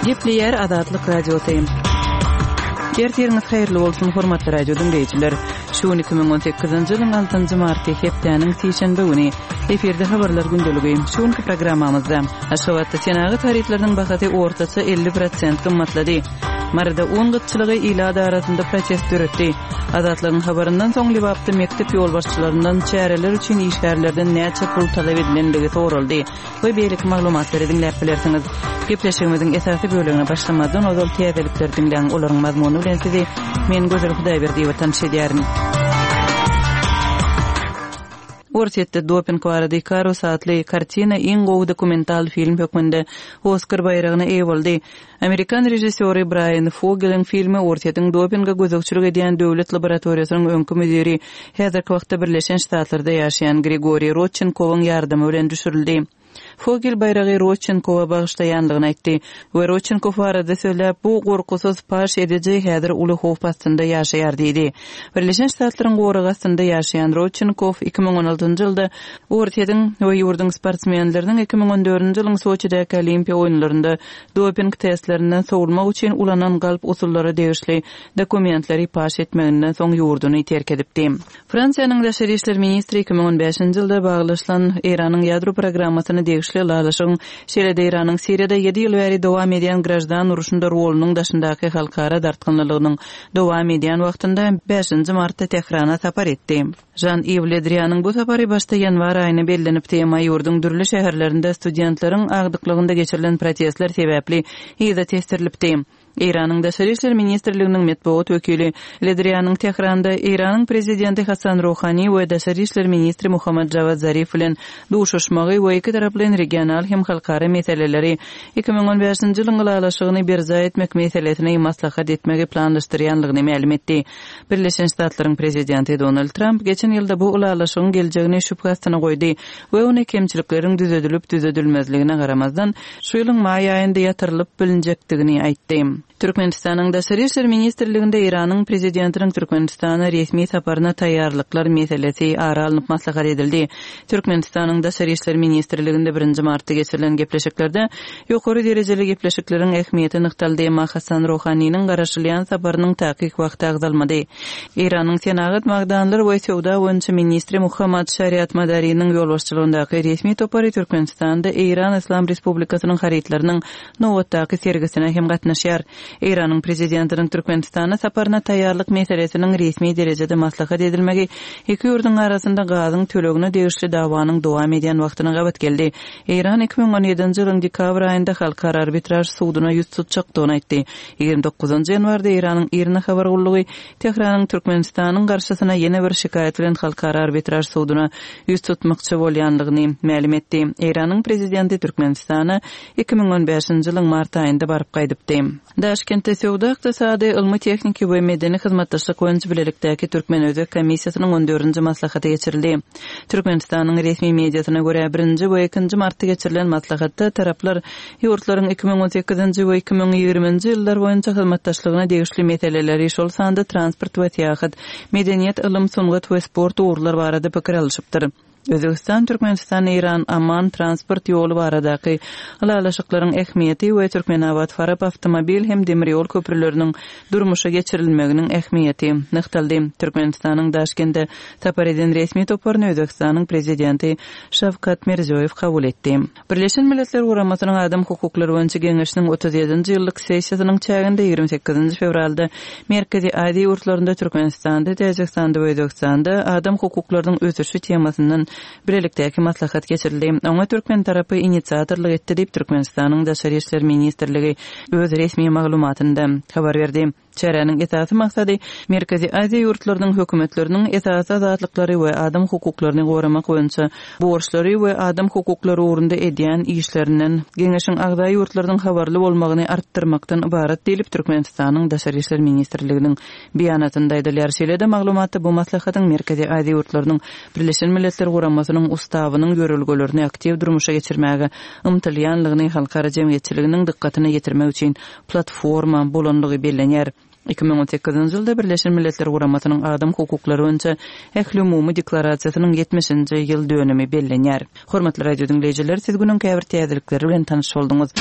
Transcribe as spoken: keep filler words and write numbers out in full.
Gepleýär Azatlyk Radiosy. Ertiriňiz haýyrly bolsun, hormatly radio diňleýjiler. Şu gün iki müň on sekizinji ýylyň altynjy marty, hepdäniň sişenbe güni. Efirde habarlar gündeligi. Şu günki programmamyzda Aşgabatda senagat harytlarynyň bahasy ortaça elli prosent gymmatlady. Maryda un gytçylygy ilat arasynda protest döretdi. Azatlygyň habaryndan soň Lebapda mekdep ýolbaşçylaryndan çäreler üçin işgärlerden näçe pul talap edilendigi soraldy we beýleki maglumatlary diňläp bilersiňiz. Gepleşigimiziň esasy bölegine başlamazdan ozal täzelikleri diňläň, olaryň mazmuny bilen sizi men Gözel Hudaýberdiýewa tanyş edýärin. Orsýetde doping barada Ikarus atly kartina iň gowy dokumental film hökmünde Oskar baýragyna eýe boldy. Amerikan režissýory Braýan Fogeliň filmi Orsýetiň dopinge gözegçilik edýän döwlet laboratoriýasynyň öňki müdiri, häzirki wagtda Birleşen Ştatlarda ýaşaýan Grigoriý Rodçenkowyň ýardamy bilen düşürildi. Fogel baýragy Rodçenkowa bagyşlaýanlygyny aýtdy we Rodçenkow barada sözläp, bu gorkusyz paş ediji häzir uly howp astynda ýaşaýar diýdi. Birleşen Ştatlaryň goragy astynda ýaşaýan Rodçenkow iki müň on altynjy ýylda Orsýetiň we ýurduň sportsmenleriniň iki müň on dördünji ýylyň Soçidäki Olimpiýa oýunlarynda doping testlerinden sowulmak üçin ulanan galp usullara degişli dokumentleri paş etmeginden soň ýurduny terk edipdi. Fransiýanyň daşary işler ministri iki müň on bäşinji ýylda baglaşylan Eýranyň ýadro programmasyna degişli ylalaşygyň, şeýle-de Eýranyň Siriýada ýedi ýyl bäri dowam edýän graždan urşunda rolunyň daşyndaky halkara dartgynlylygynyň dowam edýän wagtynda bäşinji martda Tährana sapar etdi. Žan-Iw Le Drianyň bu sapary başda ýanwar aýyna bellenipdi, emma ýurduň dürli şäherlerinde studentleriň agdyklygynda geçirilen protestler sebäpli yza tesdirilipdi. Eýranyň Daşary işler ministrliginiň metbugat wekili Le Drianyň Tähranda Eýranyň prezidenti Hasan Ruhani we Daşary işler ministri Muhammad Jawad Zarif bilen duşuşmagy we iki taraplaýyn regional hem halkara meseleleri iki müň on bäşinji ýylyň ylalaşygyny berjaý etmek meselesini maslahat etmegi planlaşdyrýanlygyny mälim etdi. Birleşen Ştatlaryň prezidenti Donald Trump geçen ýylda bu ylalaşygyň geljegini şübhe astyna goýdy we ony kemçilikleriň düzedilip düzedilmezligine garamazdan şu ýylyň maý aýynda ýatyrylyp bilinjekdigini aýtdy. Türkmenistanyň Daşary işler ministrliginde Eýranyň prezidentiniň Türkmenistana resmi saparyna taýýarlyklar meselesi ara alnyp maslahat edildi. Türkmenistanyň Daşary işler ministrliginde birinji martda geçirilen gepleşiklerde ýokary derejeli gepleşikleriň ähmiýeti nygtaldy, emma Hasan Ruhaniniň garaşylýan saparynyň takyk wagty agzalmady. Eýranyň senagat magdanlar we söwda boýunça ministri Muhammad Şariat Madariniň ýolbaşçylygyndaky resmi topary Türkmenistanda Eýran Islam Respublikasynyň harytlarynyň nobatdaky sergisine hem gatnaşýar. Eýranyň prezidentiniň Türkmenistana saparyna taýýarlyk meselesiniň resmi derejede maslahat edilmegi iki ýurduň arasynda gazyň tölegine degişli dawanyň dowam edýän wagtyna gabat geldi. Eýran iki müň on ýedinji ýylyň dekabr aýynda halkara arbitraž suduna ýüz tutjakdygyny aýtdy. Ýigrimi dokuzynjy ýanwarda Eýranyň IRNA habar gullugy Tähranyň Türkmenistanyň garşysyna ýene bir şikaýat bilen halkara arbitraž suduna ýüz tutmakçy bolýanlygyny mälim etdi. Eýranyň prezidenti Türkmenistana iki müň on bäşinji ýylyň mart aýynda baryp gaýdypdy. Daşkentde söwda, ykdysady, ylmy-tehniki we medeni hyzmatdaşlyk boýunça bilelikdäki Türkmen-Özbek komissiýasynyň on dördünji maslahaty geçirildi. Türkmenistanyň resmi mediasyna görä birinji we ikinji martda geçirilen maslahatda taraplar ýurtlaryň iki müň on sekizinji we iki müň ýigriminji ýyllar boýunça hyzmatdaşlygyna degişli meseleleri, şol sanda transport we syýahat, medeniýet, ylym, sungat we sport ugurlar barada pikir alyşypdyr. Özbegistan, Türkmenistan, Eýran, Amman transport ýoly baradaky ylalaşyklaryň ähmiýeti we Türkmenabat-Farap awtomobil hem demir ýol köprüleriniň durmuşa geçirilmeginiň ähmiýeti nygtaldy. Türkmenistanyň Daşkentde sapar eden resmi toparyny Özbegistanyň prezidenti Şawkat Mirziýoýew kabul etdi. Birleşen Milletler Guramasynyň Adam hukuklary boýunça geňeşiniň otuz ýedinji ýyllyk sessiýasynyň çäginde ýigrimi sekizinji fewralda Merkezi Aziýa ýurtlarynda Türkmenistanda, Täjigistanda we Özbegistanda adam hukuklarynyň ösüşi temasyndan bilelikdäki maslahat geçirildi. Oňa türkmen tarapy inisiatorlyk etdi diýip Türkmenistanyň Daşary işler ministrligi öz resmi maglumatynda habar berdi. Çäräniň esasy maksady Merkezi Aziýa ýurtlarynyň hökümetleriniň esasy azatlyklary we adam hukuklaryny goramak boýunça borçlary we adam hukuklary ugrunda edýän işlerinden Geňeşiň agza ýurtlarynyň habarly bolmagyny artdyrmakdan ybarat diýlip Türkmenistanyň Daşary işler ministrliginiň beýanatynda aýdylýar. Şeýle-de maglumatda bu maslahatyň Merkezi Aziýa ýurtlarynyň Birleşen Milletler Guramasynyň ustawynyň ýörelgelerini aktiw durmuşa geçirmäge ymtylýanlygyny halkara jemgyýetçiliginiň dykgatyna ýetirmek üçin platforma bolanlygy bellenýär. Iki müň on sekizinji ýylda Birleşen Milletler Guramasynyň Adam hukuklary boýunça ähli umumy deklarasiýasynyň ýetmişinji ýyl dönümi bellenýär. Hormatly radio diňleýjiler, siz günüň käbir täzelikleri bilen tanyş bolduňyz.